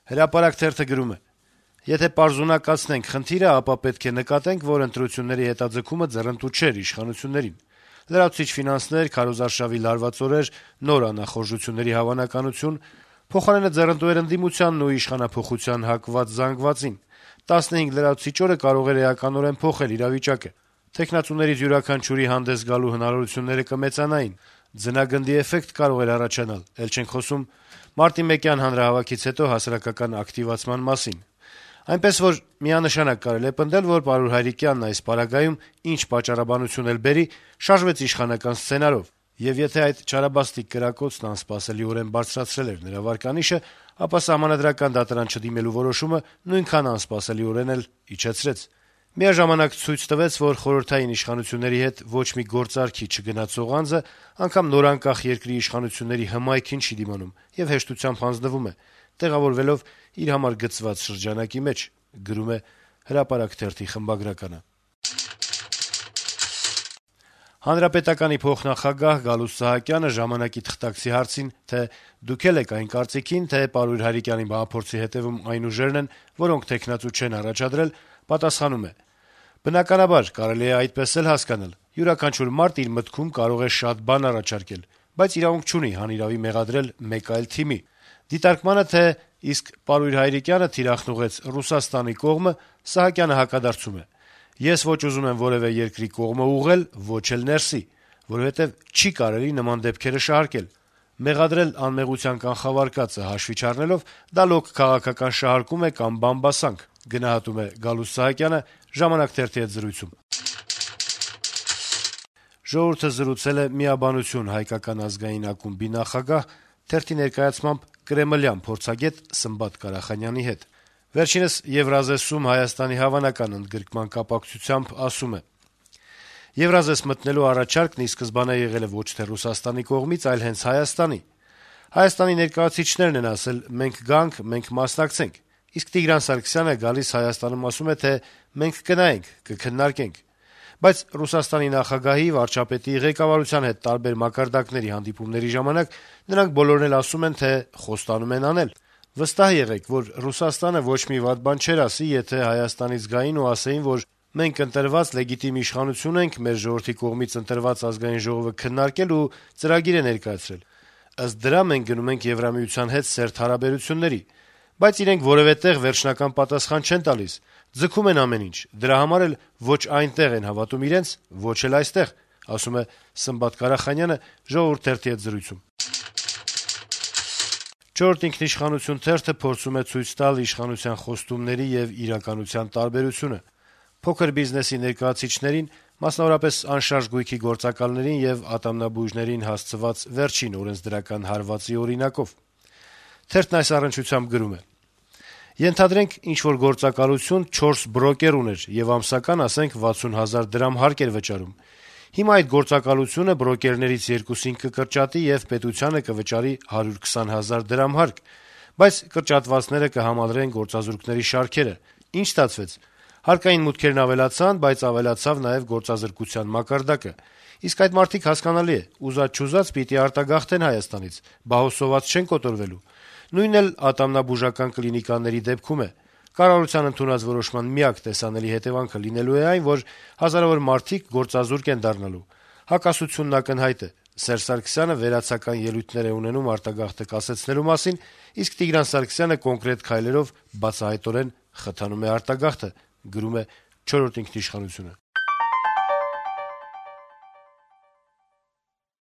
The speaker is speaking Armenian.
Հրապարակ թերթը գրում է. - «Եթե պարզունակացնենք խնդիրը, ապա պետք է նկատենք, որ ընտրությունների հետաձգումը ձեռնտու չէր իշխանություններին: Լրացուցիչ ֆինանսներ, քարոզարշավի լարված օրեր, նոր անախորժությունների հավանականություն, փոխարենը ձեռնտու էր ընդդիմությանն ու իշխանափոխության հակված զանգվածին: 15 լրացուցիչ օրը կարող էր էականորեն փոխել իրավիճակը: Թեկնածուներից յուրաքանչյուրի հանդես գալու հնարավորությունները կմեծանային, ձնագնդի էֆեկտ կարող էր առաջանալ, էլ չենք խոսում մարտի 1-յան հանրահավաքից հետո հասարակական ակտիվացման մասին: Այնպես որ միանշանակ կարելի է պնդել, որ պարոն Հայրիկյանն այս պարագայում, ինչ պատճառաբանություն էլ բերի, շարժվեց իշխանական սցենարով, եւ եթե այդ չարաբաստիկ կրակոցն անսպասելիորեն բարձրացրել էր նրա վարկանիշը, ապա Սահմանադրական դատարան չդիմելու որոշումը նույնքան անսպասելիորեն էլ իջեցրեց: Միաժամանակ ցույց տվեց, որ խորհրդային իշխանությունների հետ ոչ մի գործարքի չգնացող անձը անգամ նորանկախ երկրի իշխանությունների հմայքին չի դիմանում եւ հեշտությամբ հանձնվում է, տեղավորվելով իր համար գծված շրջանակի մեջ»: Հանրապետականի փոխնախագահ Գալուստ Սահակյանը «Ժամանակ»-ի թղթակցի հարցին, թե դուք էլ եք այն կարծիքին, թե պարոն Հայրիկյանի մահափորձի հետեւում այն ուժերն են, որոնք թեկնածու չեն առաջադրել, պատասխանում է. - «Բնականաբար, կարելի է այդպես էլ հասկանալ: Յուրաքանչյուր մարդ իր մտքում կարող է շատ բան առաջարկել, բայց իրավունք չունի հանիրավի մեղադրել մեկ այլ թիմի: Դիտարկմանը, թե իսկ պարույր Հայրիկյանը թիրախնուղեց Ռուսաստանի կողմը, Սահակյանը հակադարձում է. «Ես ոչ ուզում եմ որեւէ երկրի կողմը ուղղել, ոչ էլ ներսի, որովհետեւ չի կարելի նման դեպքերը շահարկել: Մեղադրել անմեղության կանխավարկածը հաշվի չառնելով, դա լոկ քաղաքական շահարկում է կամ բամբասանք»: «Ժողովուրդ»-ը զրուցել է «Միաբանություն» հայկական ազգային ակումբի նախագահ, թերթի ներկայացմամբ կրեմլյան փորձագետ Սմբատ Կարախանյանի հետ: Վերջինս Եվրազեսում Հայաստանի հավանական ընդգրկման կապակցությամբ ասում է. - «Եվրազես մտնելու առաջարկն ի սկզբանե եղել է ոչ թե Ռուսաստանի կողմից, այլ հենց Հայաստանի: Հայաստանի ներկայացուցիչներն են ասել՝ մենք գանք, մենք մասնակցենք, իսկ Տիգրան Սարգսյանը գալիս Հայաստանում ասում է, թե մենք կնայենք, կքննարկենք: Բայց Ռուսաստանի նախագահի, վարչապետի, ղեկավարության հետ տարբեր մակարդակների հանդիպումների ժամանակ նրանք բոլորն էլ ասում են, թե խոստանում են անել: Վստահ եղեք, որ Ռուսաստանը ոչ մի վատ բան չէր ասի, եթե Հայաստանից գային ու ասեին, որ մենք ընտրված լեգիտիմ իշխանություն ենք, մեր ժողովրդի կողմից ընտրված Ազգային ժողովը քննարկել ու ծրագիր է ներկայացրել: Ըստ դրա մենք գնում ենք Եվրամիության հետ սերտ հարաբերությունների: Բայց իրենք որեւէ տեղ վերջնական պատասխան չեն տալիս, ձգում են ամեն ինչ, դրա համար էլ ոչ այնտեղ են հավատում իրենց, ոչ էլ այստեղ»: «Չորրորդ ինքնիշխանություն» թերթը փորձում է ցույց տալ իշխանության խոստումների եւ իրականության տարբերությունը: Փոքր բիզնեսի ներկայացուցիչներին, մասնավորապես անշարժ գույքի գործակալներին եւ ատամնաբույժներին հասցված վերջին օրենսդրական հարվածի օրինակով: Թերթն այս առնչությամբ գրում է. - «Ենթադրենք, ինչ-որ գործակալություն 4 բրոկեր ուներ եւ ամսական, ասենք, 60 000 դրամ հարկ էր վճարում: Հիմա այդ գործակալությունը բրոկերներից երկուսին կկրճատի եւ պետությանը կվճարի 120 000 դրամ հարկ: Բայց կրճատվածները կհամալրեն գործազուրկների շարքերը: Ինչ ստացվեց: Հարկային մուտքերն ավելացան, բայց ավելացավ նաեւ գործազրկության մակարդակը: Իսկ այդ մարդիկ, հասկանալի է, ուզած-չուզած պիտի արտագաղթեն Հայաստանից, բա հո սոված չեն կոտորվելու: Նույնն էլ ատամնաբուժական կլինիկաների դեպքում է: Կառավարության ընդունած որոշման միակ տեսանելի հետեւանքը լինելու է այն, որ հազարավոր մարդիկ գործազուրկ են դառնալու: Հակասությունն ակնհայտ է: Սերժ Սարգսյանը վերացական ելույթներ է ունենում արտագաղթը կասեցնելու մասին, իսկ Տիգրան Սարգսյանը կոնկրետ քայլերով բացահայտորեն խթանում է արտագաղթը»: